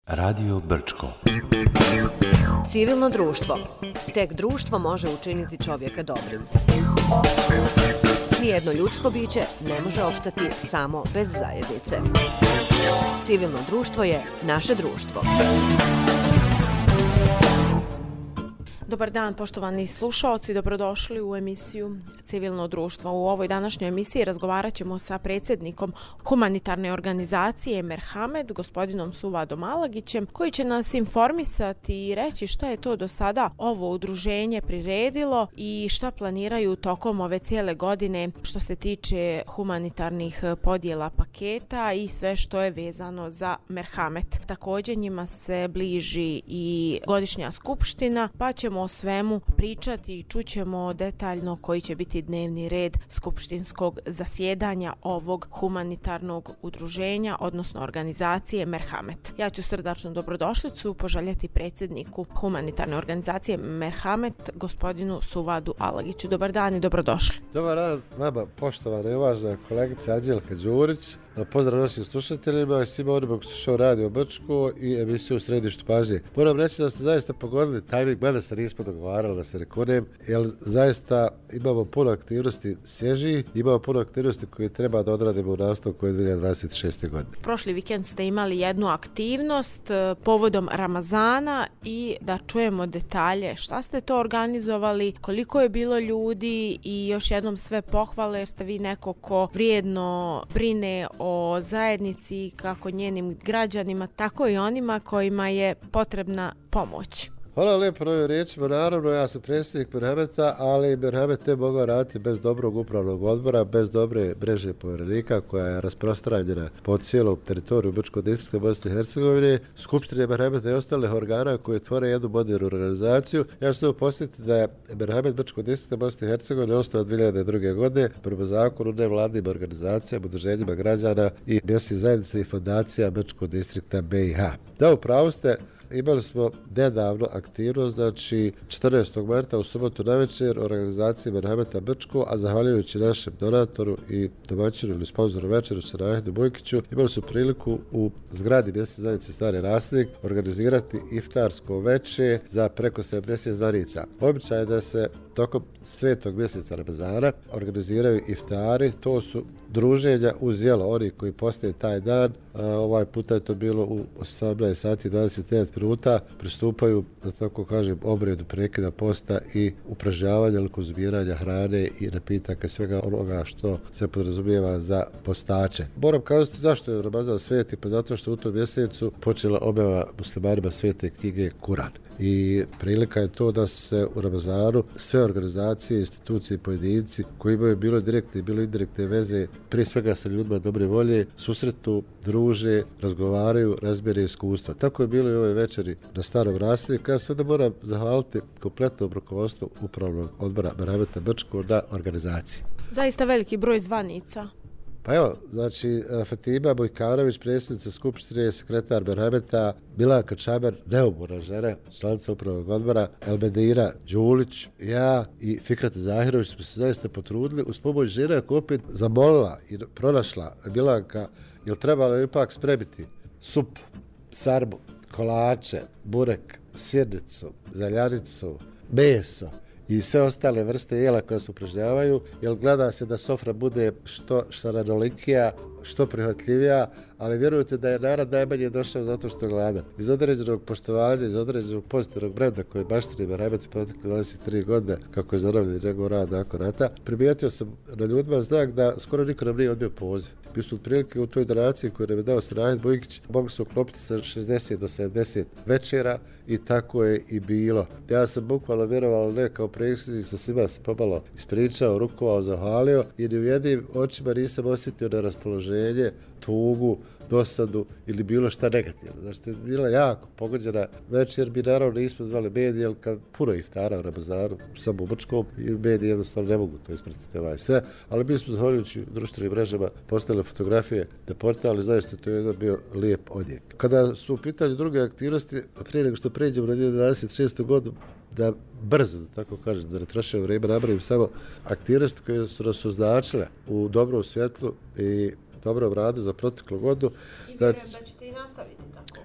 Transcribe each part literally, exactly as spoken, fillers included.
Radio Brčko. Civilno društvo. Tek društvo može učiniti čovjeka dobrim. Nijedno ljudsko biće ne može opstati samo bez zajednice. Civilno društvo je naše društvo. Dobar dan, poštovani slušaoci, dobrodošli u emisiju Civilno društvo. U ovoj današnjoj emisiji razgovarat ćemo sa predsjednikom humanitarne organizacije Merhamet, gospodinom Suvadom Alagićem, koji će nas informisati i reći šta je to do sada ovo udruženje priredilo i šta planiraju tokom ove cijele godine što se tiče humanitarnih podjela paketa i sve što je vezano za Merhamet. Također njima se bliži i godišnja skupština, pa ćemo o svemu pričati i čućemo detaljno koji će biti dnevni red skupštinskog zasjedanja ovog humanitarnog udruženja, odnosno organizacije Merhamet. Ja ću srdačnu dobrodošlicu poželjeti predsjedniku humanitarne organizacije Merhamet, gospodinu Suvadu Alagiću. Dobar dan i dobrodošli. Dobar dan vama, poštovana i uvažena kolegica Anđelka Đurić. Pozdrav našim slušateljima i svima onima koji slušaju Radio Brčko i emisiju u središtu pažnje. Moram reći da ste zaista pogodili tajming, mada se nismo dogovarali da se rekunem, jer zaista imamo puno aktivnosti svježih, imamo puno aktivnosti koje treba da odradimo u nastavku dvije tisuće dvadeset šeste. godine. Prošli vikend ste imali jednu aktivnost povodom Ramazana i da čujemo detalje šta ste to organizovali, koliko je bilo ljudi i još jednom sve pohvale jer ste vi neko ko vrijedno brine o o zajednici, kako njenim građanima, tako i onima kojima je potrebna pomoć. Hvala lijepo na ovim riječima. Naravno, ja sam predsjednik Merhameta, ali Merhamet ne mogao raditi bez dobrog upravnog odbora, bez dobre mreže povjerenika koja je rasprostranjena po cijelom teritoriju Brčkog distrikta Bosne i Hercegovine, skupštine Merhameta i ostalih organa koji tvore jednu modernu organizaciju. Ja ću se posjetiti da je Merhamet Brčkog distrikta Bosne i Hercegovine ostao od dvije hiljade druge. godine prema zakonu nevladnim organizacijama, udruženjima građana i mjesnih zajednica i fondacija Brčkog distrikta B i H. Da, upravo ste. Imali smo nedavno aktivnost, znači četrnaestog marta u subotu navečer organizacije Merhameta Brčko, a zahvaljujući našem donatoru i domaćinu ili sponzoru večeru Sanahidu Bojkiću, imali su priliku u zgradi mjesne zajednice Stari Rasnik organizirati iftarsko veče za preko sedamdeset zvanica. Običaj je da se tokom svetog mjeseca Ramazana organiziraju iftari, to su druženja uz jelo, oni koji postaje taj dan, a ovaj puta je to bilo u osamnaest sati i dvadeset devet minuta, pristupaju, da tako kažem, obredu prekida posta i upražnjavanja ili konzumiranja hrane i napitaka, svega onoga što se podrazumijeva za postače. Moram kazati zašto je Ramazan sveti, pa zato što u tom mjesecu počela objava muslimanima svete knjige Kuran. I prilika je to da se u Ramazanu sve organizacije, institucije i pojedinci koji imaju bilo direktne i bilo indirektne veze, prije svega sa ljudima dobre volje, susretu, druže, razgovaraju, razmjere iskustva. Tako je bilo i ove večeri na Starom Rasniku. Ja sada moram zahvaliti kompletnom rukovodstvu upravnog odbora Merhameta Brčko na organizaciji. Zaista veliki broj zvanica. Pa evo, znači, Fatima Bojkanović, predsjednica skupštine, sekretar Merhameta, Milanka Čamer, neumorna žena, članica upravnog odbora, Elmedira Đulić, ja i Fikrata Zahirović smo se zaista potrudili uz pomoć žena koja opet zamolila i pronašla Milanka, jel trebalo ipak spremiti sup, sarmu, kolače, burek, sirnicu, zaljanicu, meso i sve ostale vrste jela koje se upražnjavaju, jer gleda se da sofra bude što šaranolikija, što prihvatljivija, ali vjerujte da je narod najmanje došao zato što je gladan. Iz određenog poštovanja, iz određenog pozitivnog brenda koji baštini Merhamet u protekle dvadeset tri godine, kako je zaravljen njegov rad nakon rata, primijetio sam na ljudima znak da skoro niko nam nije odbio poziv. Mi smo otprilike u toj donaciji koju nam je dao Sanahid Bojkić mogli se uklopiti sa šezdeset do sedamdeset večera i tako je i bilo. Ja sam bukvalno vjerovao ne kao predsjednik, sa svima se pomalo ispričao, rukovao, zahvalio i ni u jednim očima nisam osjetio na raspoloženje, tugu, dosadu ili bilo šta negativno. Znači, to je bila jako pogođena večer. Mi naravno nismo zvali medije, jer kad puno iftara u Ramazanu, samo u Brčkom, i mediji jednostavno ne mogu to ispratiti ovaj sve, ali mi smo zahvaljujući društvenim mrežama postavili fotografije na portal i zaista to je jedan bio lijep odjek. Kada su u pitanju druge aktivnosti, prije nego što pređemo na dvije hiljade dvadeset šestu. godinu, da brzo, da tako kažem, da ne trošim vrijeme, napravim samo aktivnosti koje su nas označile u dobrom svjetlu i dobrom radu za proteklu godinu. I vjerujem da ćete i nastaviti tako.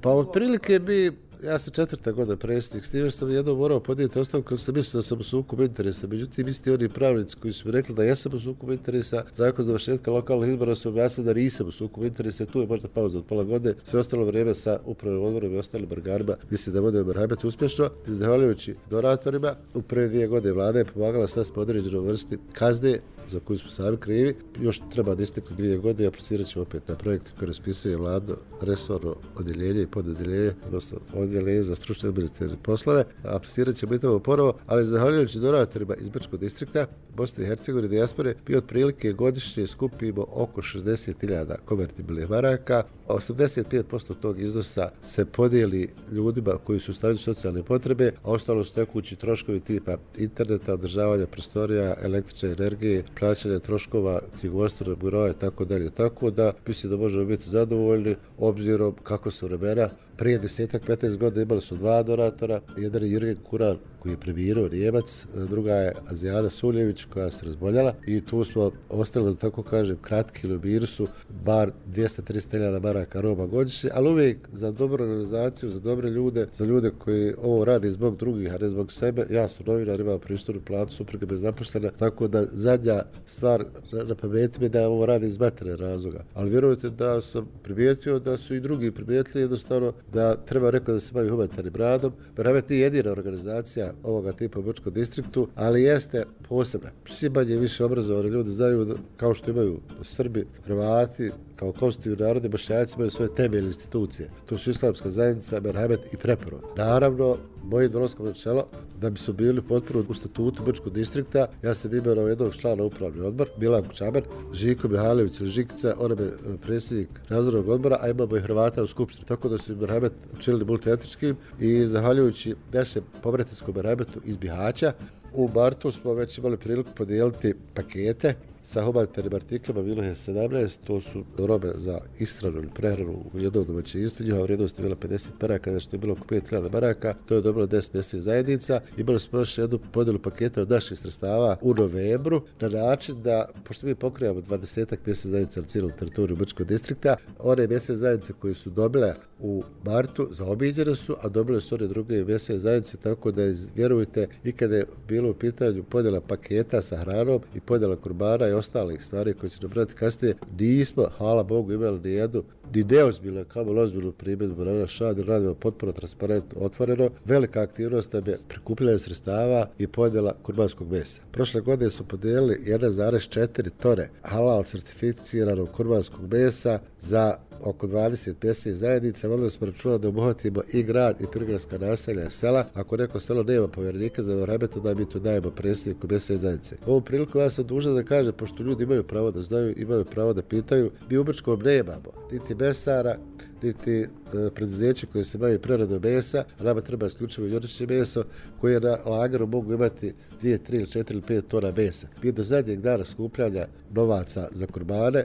Pa otprilike bi, ja sam četvrta godina predsjednik, s time što sam jednom morao podijeti ostavku, jer sam mislio da sam u sukobu interesa. Međutim, isti oni pravnici koji su mi rekli da jesam u sukobu interesa, nakon završetka lokalnih izbora su objasnili da nisam u sukobu interesa, tu je možda pauza od pola godine, sve ostalo vrijeme sa upravnim odborom i ostalim organima, mislim da bude Merhamet uspješno. Zahvaljujući donatorima, u prve dvije godine vlada je pomagala sad smo određenoj vrsti kazne za koju smo sami krivi. Još treba da istekli dvije godine i aplicirat ćemo opet na projekte koje raspisuje vladno resorno odjeljenje i pododjeljenje, odnosno odjeljenje za stručne administrativne poslove. Aplicirat ćemo i tamo ponovo, ali zahvaljujući donatorima iz Brčkog distrikta, Bosne i Hercegovine, dijaspore, mi otprilike godišnje skupimo oko šezdeset hiljada konvertibilnih maraka. osamdeset pet posto tog iznosa se podijeli ljudima koji su u stanju socijalne potrebe, a ostalo su tekući troškovi tipa interneta, održavanja prostorija, električne energije, plaćanja troškova knjigovodstvenog biroa i tako dalje. Tako da mislim da možemo biti zadovoljni obzirom kako su vremena. Prije desetak, petnaest godina imali su dva donatora, jedan je Jurgen Kuran koji je premijerao, Njemac, druga je Azijana Suljević koja se razboljala i tu smo ostali, da tako kažem, kratki ili u minusu, bar dvjesto do tristo hiljada maraka roba godišnje, ali uvijek za dobru organizaciju, za dobre ljude, za ljude koji ovo rade zbog drugih, a ne zbog sebe. Ja sam novinar, imam pristojnu platu, supruga me zaposlena, tako da zadnja stvar na pameti mi da ovo radim iz materijalnih razloga. Ali vjerujte da sam primijetio da su i drugi primijetili jednostavno da treba rekao da se bavi humanitarnim radom. Merhamet nije jedina organizacija ovoga tipa u Brčkom distriktu, ali jeste posebna. Svi manje više obrazovani ljudi znaju da, kao što imaju Srbi, Hrvati, kao konstitutivni narodi, Bošnjaci imaju svoje temeljne institucije. To su Islamska zajednica, Merhamet i Preporod. Naravno, mojim dolaskom na čelo, da bi su bili potpuno u statutu Brčkog distrikta, ja sam imenovao jednog člana upravni odbor, Milan Čamer, Žiko Mihajlović ili Žikica, on je predsjednik nadzornog odbora, a imamo i Hrvata u skupštini. Tako da su Merhamet učinili multietničkim i zahvaljujući našem pobratinskom Merhametu iz Bihaća, u martu smo već imali priliku podijeliti pakete sa humanitarnim artiklima, bilo je sedamnaest, to su robe za ishranu ili prehranu u jednom domaćinstvu, njihova vrijednost je bila pedeset maraka, znači to je bilo oko pet hiljada maraka, to je dobilo deset mjesečnih zajednica. Imali smo još jednu podjelu paketa od naših sredstava u novembru, na način da, pošto mi pokrijamo dvadesetak mjesečnih zajednica na cijelom teritoriju Brčkog distrikta, one mjesečne zajednice koje su dobile u martu zaobiđene su, a dobile su one druge mjesečne zajednice, tako da vjerujte, i kada je bilo u pitanju podjela paketa sa hranom i podjela kurbana i ostalih stvari koje će nabrati kasnije, nismo, hvala Bogu, imali ni jednu, ni neozbiljno, kao ozbiljnu primjedbu na naš rad, radimo potpuno transparentno, otvoreno. Velika aktivnost nam je prikupljanje sredstava i podjela kurbanskog mesa. Prošle godine smo podijelili jedan zarez četiri tone halal certificiranog kurbanskog mesa za oko dvadeset mjesnih zajednica. Vodili smo računa da obuhvatimo i grad i prigradska naselja i sela. Ako neko selo nema povjerenika za Merhamet, onda mi tu dajemo predsjedniku mjesne zajednice. Ovom priliku ja sam dužan da kažem, pošto ljudi imaju pravo da znaju, imaju pravo da pitaju, mi u Brčkom nemamo niti mesara, niti e, preduzeće koje se bavi preradom mesa, a nama treba isključivo juričje meso, koje na lageru mogu imati dvije, tri, četiri ili pet tona mesa. Mi do zadnjeg dana skupljanja novaca za kurbane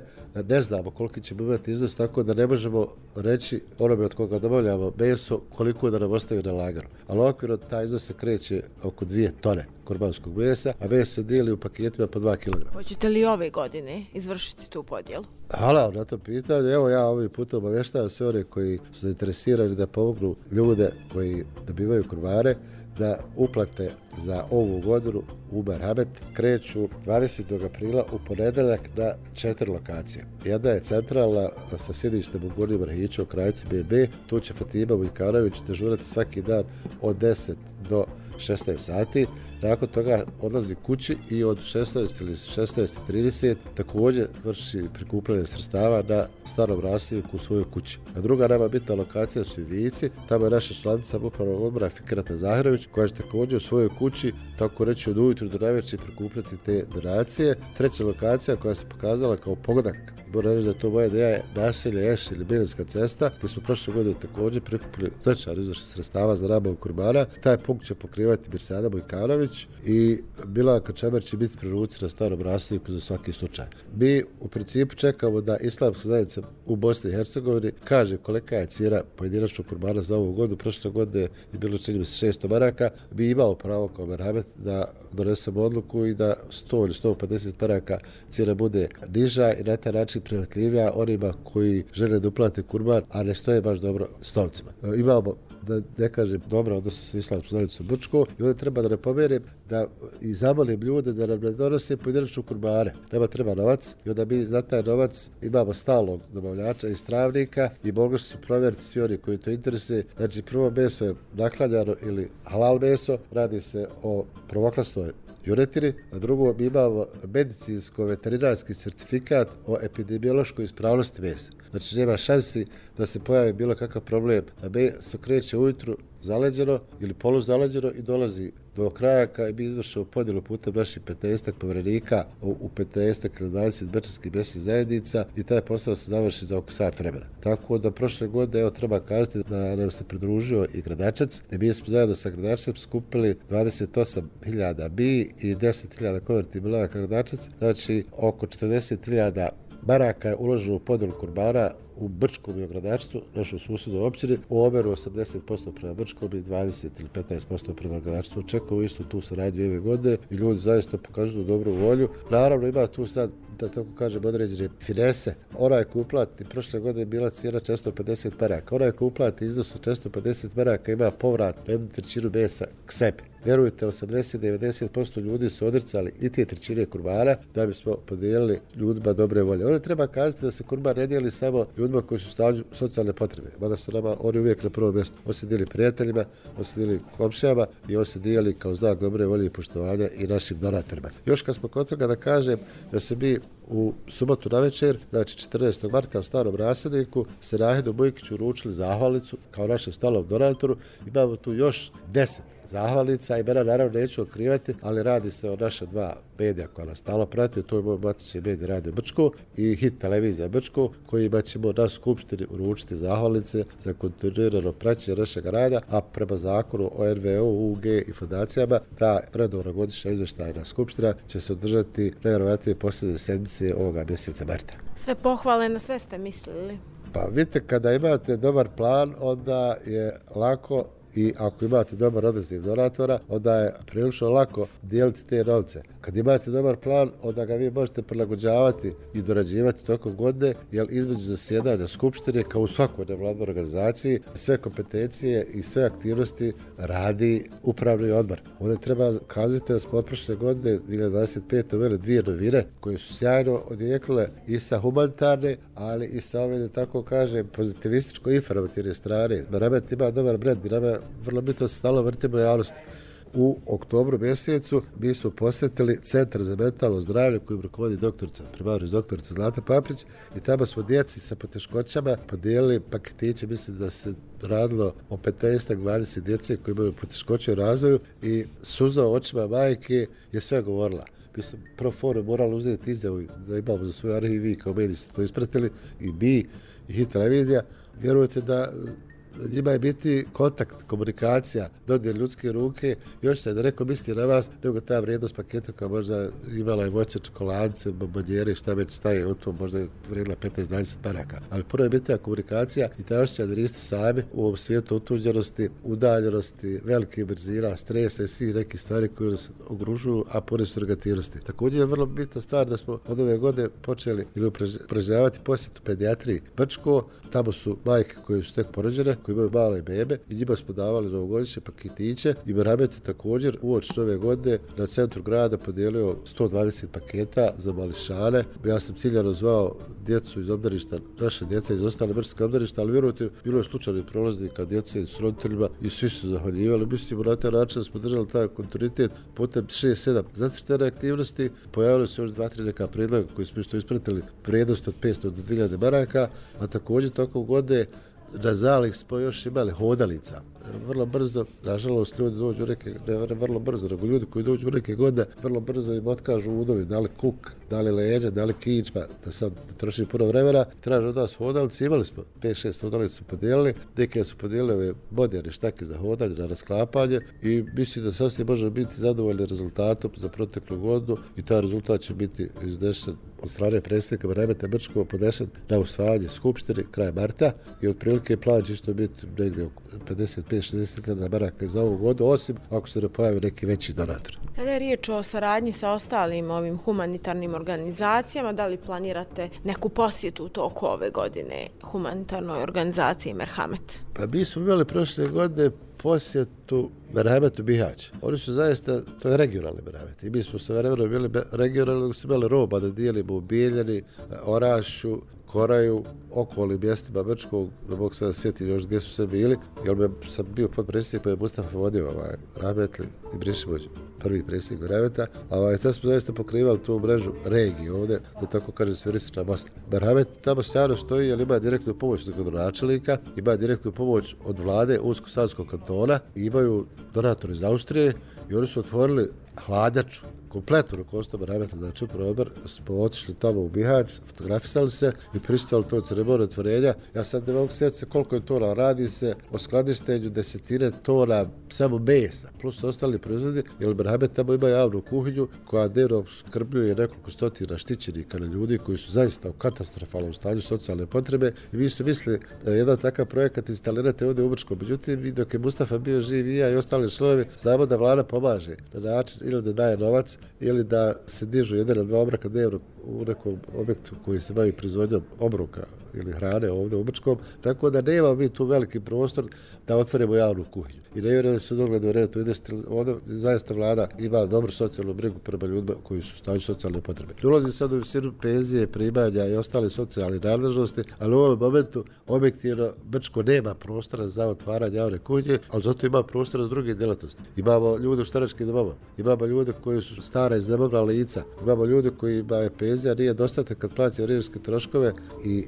ne znamo koliki ćemo imati iznos, tako da ne možemo reći onome od koga dobavljamo meso koliko da nam ostavi na lageru. Ali okvirno taj iznos se kreće oko dvije tone kurbanskog mesa, a meso se dijeli u paketima po dva kilograma. Hoćete li ove godine izvršiti tu podjelu? Hvala na to pitanje. Evo ja ovim putem obavještavam sve one koji su zainteresirani da pomognu ljude koji dobivaju kurbane, da uplate za ovu godinu u Merhamet kreću dvadesetog aprila u ponedeljak na četiri lokacije. Jedna je centralna sa sjedištem u Gornjem Marhiću, Krajci B B. Tu će Fatima Vujkanović dežurati svaki dan od deset do šesnaest sati. Nakon toga odlazi kući i od šesnaest ili šesnaest trideset također vrši prikupljanje sredstava na starom rasljedniku u svojoj kući. A druga nama bitna lokacija su i Vici, tamo je naša članica upravnog odbora Fikrata Zahirović, koja će također u svojoj kući, tako reći od ujutru do navečer, prikupljati te donacije. Treća lokacija koja se pokazala kao pogodak, moram reći da je to moja ideja, je naselje Eš ili Biljinska cesta, gdje smo prošle godine također prikupili značajan iznos sredstava za nabavu kurbana. Taj punkt će pokrivati Mirsada Bojkanović i Milanka Čamer će biti pri ruci na starom rasljedniku za svaki slučaj. Mi u principu čekamo da Islamska zajednica u Bosni i Hercegovini kaže kolika je cijena pojedinačnog kurbana za ovu godinu. Prošle godine je bilo čini mi se šesto maraka. Mi imamo pravo kao Merhamet da donesemo odluku i da sto ili sto pedeset maraka cijena bude niža i na taj način prihvatljivija onima koji žele da uplate kurban, a ne stoje baš dobro s novcima. Imamo, da ne kažem, dobro odnosno sa Islamskom zajednicom Brčko i onda treba da ne pomerim da i zamolim ljude da nam ne donose pojedinačnu kurbane. Nema treba novac i onda mi za taj novac imamo stalnog dobavljača i stravnika i mogli su provjeriti svi oni koji to interesuje. Znači prvo meso je nakladjano ili halal meso, radi se o prvoklasnoj juretini, a drugo mi imamo medicinsko-veterinarski certifikat o epidemiološkoj ispravnosti mesa. Znači nema šansi da se pojavi bilo kakav problem, da meso kreće ujutru zaleđeno ili poluzaleđeno i dolazi do kraja kada mi izvršimo podjelu putem naših petnaestak povjerenika u petnaestak ili dvadeset brčanskih mjesnih zajednica i taj posao se završi za oko sat vremena. Tako da prošle godine, evo treba kazati da nam se pridružio i Gradačac i mi smo zajedno sa Gradačacom skupili dvadeset osam hiljada bi i deset hiljada konvertibilova Gradačac, znači oko četrdeset hiljada maraka je uloženo u podjelu kurbana u Brčkom i Gradačcu, našoj susjednoj općini, u omeru osamdeset posto prema Brčkom i dvadeset ili petnaest posto prema Gradačcu. Očekujemo isto tu saradnju ove godine i ljudi zaista pokazuju dobru volju. Naravno ima tu sad, da tako kažem, određene finese. Onaj ko uplati, prošle godine bila cijena četiristo pedeset maraka. Onaj ko uplati iznos od četiristo pedeset maraka ima povrat na jednu trećinu mesa k sebi. Vjerujte, osamdeset do devedeset posto ljudi su odricali i te trećine kurbana da bismo podijelili ljudima dobre volje. Ovdje treba kazati da se kurban ne dijeli samo ljudima koji su u stanju socijalne potrebe. Mada su nama oni uvijek na prvom mjestu. On se dijeli prijateljima, on se dijeli komšijama i on se dijeli kao znak dobre volje i poštovanja i našim donatorima. Još kad smo kod toga da kažem da se mi u subotu na večer, znači četrnaestog marta u Starom Rasadniku, se Rahedu Bujkiću uručili zahvalnicu kao našem stalnom donatoru. Imamo tu još deset zahvalnica, imena naravno neću otkrivati, ali radi se o naša dva medija koja nas stalno prati, to je moj matični medij Radio Brčko i Hit televizija Brčko, kojima ćemo na skupštini uručiti zahvalnice za kontinuirano praćenje našeg rada, a prema zakonu o er ve o, u ge i fondacijama, ta redovna godišnja izvještajna skupština će se održati najvjerojatnije posljednje sedmice ovoga mjeseca marta. Sve pohvale, na sve ste mislili? Pa vidite, kada imate dobar plan, onda je lako i ako imate dobar odaziv donatora, onda je prilično lako dijeliti te novce. Kad imate dobar plan, onda ga vi možete prilagođavati i dorađivati tokom godine, jer između zasjedanja skupštine, kao u svakoj nevladnoj organizaciji, sve kompetencije i sve aktivnosti radi upravni odbor. Ovdje treba kazati da smo od prošle godine, dvije hiljade dvadeset pete. uveli dvije novine koje su sjajno odjekle i sa humanitarne, ali i sa ove, da tako kažem, pozitivističko-informativne strane. Meramet ima dobar brend, nama vrlo bitno se stalo vrtimo javnosti. U oktobru mjesecu mi smo posjetili Centar za mentalno zdravlje kojim rukovodi doktorica, primarno doktorica Zlata Paprić i tamo smo djeci sa poteškoćama podijelili paketiće, mislim da se radilo o petnaest do dvadeset djece koji imaju poteškoće u razvoju i suza u očima majke je sve govorila. Mi smo pro forum morali uzeti izjavu da imamo za svoj arhiv, vi kao mediji ste to ispratili i mi i Hit televizija. Vjerujete da njima je biti kontakt, komunikacija, dodjel ljudske ruke, još se da rekao misli na vas, nego ta vrijednost paketa koja možda imala je voće, čokoladice, bombonjere, šta već staje od to, možda je vrijedila petnaest do dvadeset maraka. Ali prvo je biti komunikacija i ta osjećaj da niste sami u ovom svijetu otuđenosti, udaljenosti, velike brzina, stresa i svih nekih stvari koje nas ogružuju, a pored surrogativnosti. Također je vrlo bitna stvar da smo od ove godine počeli ili upražnjavati posjetu pedijatriji Brčko, tamo su majke koje su tek porođene, koji imaju male bebe i njima smo davali novogodišnje paketiće i Meramet je također uoči ove godine na centru grada podijelio sto dvadeset paketa za mališane. Ja sam ciljano zvao djecu iz obdaništa, naše djeca iz ostale brčke obdaništa, ali vjerujte, bilo je slučajnih prolaznika, djece s roditeljima i svi su zahvaljivali. Mislimo na taj način da smo držali taj kontinuitet putem šest sedam zacrtane aktivnosti. Pojavili su još dva tri neka predloga koji smo isto ispratili, vrijednost od petsto do dvije hiljade maraka, a također tokom godine na zalih smo još imali hodalica. Vrlo brzo, nažalost, ljudi dođu u neke, ne vrlo brzo, nego ljudi koji dođu u neke godine, vrlo brzo im otkažu udovi, da li kuk, da li leđa, da li kičma, da sad troši puno vremena, traže od nas hodalice, imali smo pet šest hodalica su podijelili, neke su podijelili ove moderne štake za hodanje, na rasklapanje i mislim da sasvim možemo biti zadovoljni rezultatom za proteklu godinu i taj rezultat će biti iznešen od strane predsjednika Meremeta Brčkova podnesen na usvajanje skupštine kraj marta i otprilike plan će isto biti negdje oko pedeset pet do šezdeset hiljada maraka za ovu vodu, osim ako se ne pojavi neki veći donator. Kada je riječ o saradnji sa ostalim ovim humanitarnim organizacijama, da li planirate neku posjetu u toku ove godine humanitarnoj organizaciji Merhamet? Pa mi smo imali prošle godine posjetu Merhametu Bihać. Oni su zaista, to je regionalni Merhamet. I mi smo sa vremenom bili regionalni, da su imali roba da dijelimo u Bijeljani, Orašju, Koraju, okolnim mjestima Brčkog, ne mogu sada sjetiti još gdje su sve bili, jer bi sam bio podpredsjednik, pa je Mustafa vodio ovaj, Rahmetli i Brišimović, prvi predsjednik Merhameta, a ovaj, to smo zaista pokrivali tu mrežu regije ovdje, da tako kaže sveristična masla. Merhamet tamo sjajno stoji, jer ima direktnu pomoć od gradonačelnika, ima direktnu pomoć od vlade Unsko-Sanskog kantona, imaju donatori iz Austrije i oni su otvorili hladnjaču, kompletno rukovodstvo Merhameta, znači upravo odbor, smo otišli tamo u Bihać, fotografisali se i pristupali to ceremoniju otvorenja. Ja sad ne mogu sjetiti se koliko je tona, radi se o skladištenju desetine tona samo mesa, plus ostali proizvodi, jer Merhamet tamo ima javnu kuhinju koja dnevno skrbljuje nekoliko stotina štićenika na ljudi koji su zaista u katastrofalnom stanju socijalne potrebe i mi su mislili da je jedan takav projekat instalirate ovdje u Brčkom. Međutim, dok je Mustafa bio živ i ja i ostali članovi, znamo da vlada pomaže na način ili da daje novac ili da se dižu jedan ili dva obroka dnevno u nekom objektu koji se bavi proizvodnjom obroka ili hrane ovdje u Brčkom, tako da nema mi tu veliki prostor da otvorimo javnu kuhinju. I ne vjerujem da se dogledno vreme to ide, ovdje zaista vlada ima dobru socijalnu brigu prema ljudima koji su u stanju socijalne potrebe. Ne ulazi sad u visinu penzije, primanja i ostale socijalne nadležnosti, ali u ovom momentu objektivno Brčko nema prostora za otvaranje javne kuhinje, ali zato ima prostora za druge djelatnosti. Imamo ljude u staračkim domovima, imamo ljude koji su stara iznemogla lica, imamo ljude koji imaju penzija, nije dostatak kad plaća režijske troškove i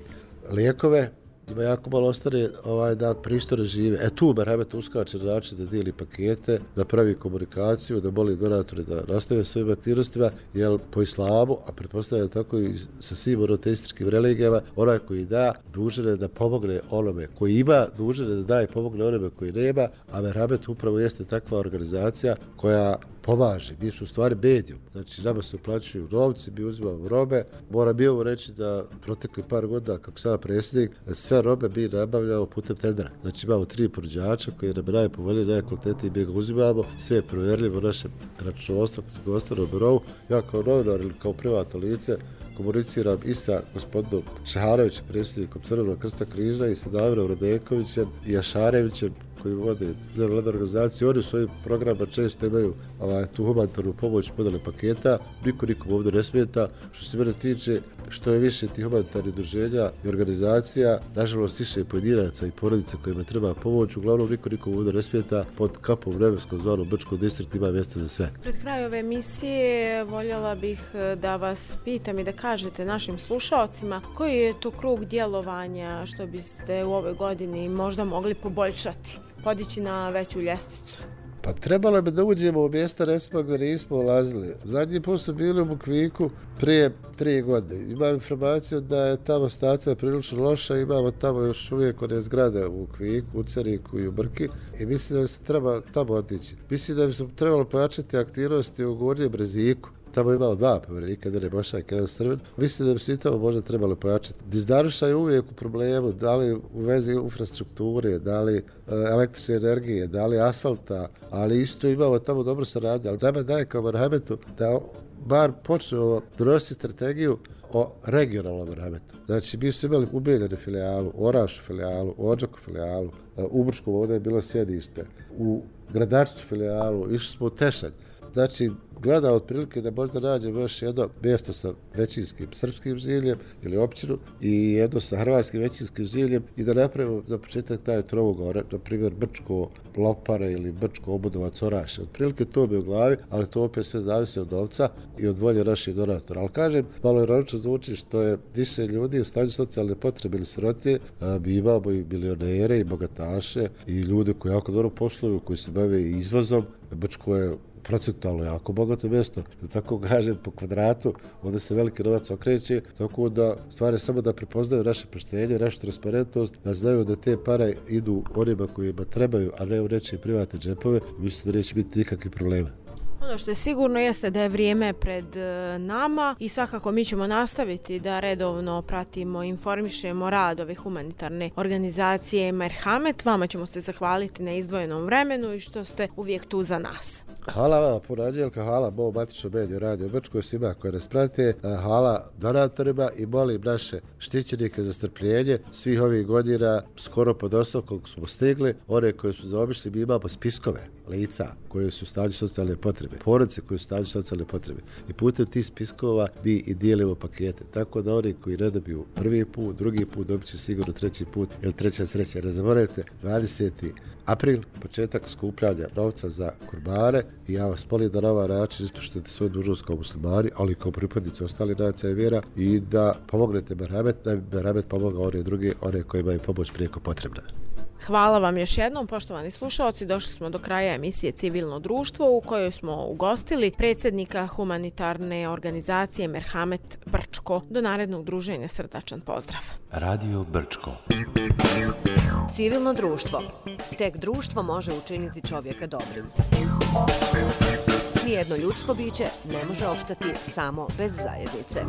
lijekove, ima jako malo ostane ovaj, da pristojno žive. E tu Merhamet uskače na način da dijeli pakete, da pravi komunikaciju, da moli donatore da nastave svojim aktivnostima, jer po islamu, a pretpostavljam tako i sa svim monoteističkim religijama, onaj koji da, dužan je da pomogne onome koji ima, dužan je da daje pomogne onome koji nema, a Merhamet upravo jeste takva organizacija koja pomaže. Mi su u stvari medijum. Znači, nama se uplaćuju novci, mi uzimamo robe. Moram bi ovo reći da protekli par godina, kako sada predsjednik, sve robe mi nabavljamo putem tendera. Znači, imamo tri ponuđača koji nam najpovoljniji, najkvalitetniji, mi ga uzimamo. Sve je provjerljivo u našem računovodstvu, gospodarskom birovu. Ja kao novinar ili kao privatno lice komuniciram i sa gospodinom Šaharevićem, predsjednikom Crvenog krsta križa, i sa Damirom Radekovićem i Jašarevićem, koji vode nevladnu organizaciju. Oni u svojim programima često imaju ovaj, tu humanitarnu pomoć podele paketa, niko nikom ovdje ne smeta. Što se mene tiče, što je više tih humanitarnih udruženja i organizacija, nažalost više pojedinaca i porodica kojima treba pomoć, uglavnom niko nikom ovdje ne smeta, pod kapom vremenskom zvanom Brčkom distriktu ima mjesta za sve. Pred kraj ove emisije voljela bih da vas pitam i da kažete našim slušalcima koji je to krug djelovanja što biste u ovoj godini možda mogli poboljšati, podići na veću ljestvicu. Pa trebalo bi da uđemo u mjesta recimo gdje nismo ulazili. Zadnji put su bili u Bukviku prije tri godine. Imam informaciju da je tamo stacija prilično loša, imamo tamo još uvijek one zgrade u Bukviku, u Ceriku i u Brki i mislim da bi se treba tamo otići. Mislim da bi se trebalo pojačati aktivnosti u Gornjem Breziku. Tamo imao dva povjerenika, jedan je Bošnjak, jedan Srbin. Mislim da bi se i tamo možda trebalo pojačati. Dizdaruša je uvijek u problemu, da li u vezi infrastrukture, da li e, električne energije, da li asfalta, ali isto imamo tamo dobro saradnje. Ali nama daje kao Merhametu da bar počnemo donositi strategiju o regionalnom Merhametu. Znači, mi su imali u Bijeljani filijalu, Orašu filijalu, Odžaku filijalu, u Brčkom ovdje je bilo sjedište, u Gradačcu filijalu, išli smo u Tešanj. Znači, gleda otprilike da možda nađemo još jedno mjesto sa većinskim srpskim življem ili općinu i jedno sa hrvatskim većinskim življem i da napravimo za početak taj tromugao, na primjer Brčko Lopare ili Brčko Obudovac Oraše. Otprilike to bi u glavi, ali to opet sve zavisi od novca i od volje naših donatora. Ali kažem, malo ironično zvuči što je više ljudi u stanju socijalne potrebe ili sirotije, mi imamo i milionere i bogataše i ljude koji jako dobro posluju, koji se bave i izvozom. Brčko je procentualno jako bogato mjesto, da tako kažem, po kvadratu, ovdje se veliki novac okreće, tako da stvari samo da prepoznaju naše poštenje, našu transparentnost, da znaju da te pare idu onima kojima trebaju, a ne u nečije privatne džepove, mislim da neće biti nikakvih problema. Ono što je sigurno jeste da je vrijeme pred nama i svakako mi ćemo nastaviti da redovno pratimo, informišemo rad ove humanitarne organizacije Merhamet. Vama ćemo se zahvaliti na izdvojenom vremenu i što ste uvijek tu za nas. Hvala vam puno, Anđelka, hvala Bo Matično mediju Radio Brčko, svima koji nas prate, hvala donatorima i molim naše štićenike za strpljenje svih ovih godina, skoro pod osam koliko smo stigli, one koje smo zaobišli, mi imamo spiskove lica koje su u stanju socijalne potrebe, porodice koje su u stanju socijalne potrebe i putem tih spiskova mi i dijelimo pakete, tako da oni koji ne dobiju prvi put, drugi put, dobit će sigurno treći put ili treća sreća. Ne zaboravite, dvadeseti april, početak skupljanja novca za kurbane i ja vas molim da na ovaj način ispoštujete svoju dužnost kao muslimani, ali i kao pripadnici ostalih nacija i vjera i da pomognete Merhamet, da bi Merhamet pomogao one druge, one kojima je pomoć prijeko potrebna. Hvala vam još jednom, poštovani slušalci. Došli smo do kraja emisije Civilno društvo u kojoj smo ugostili predsjednika humanitarne organizacije Merhamet Brčko. Do narednog druženja srdačan pozdrav. Radio Brčko. Civilno društvo. Tek društvo može učiniti čovjeka dobrim. Nijedno ljudsko biće ne može opstati samo bez zajednice.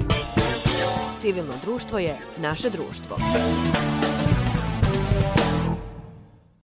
Civilno društvo je naše društvo.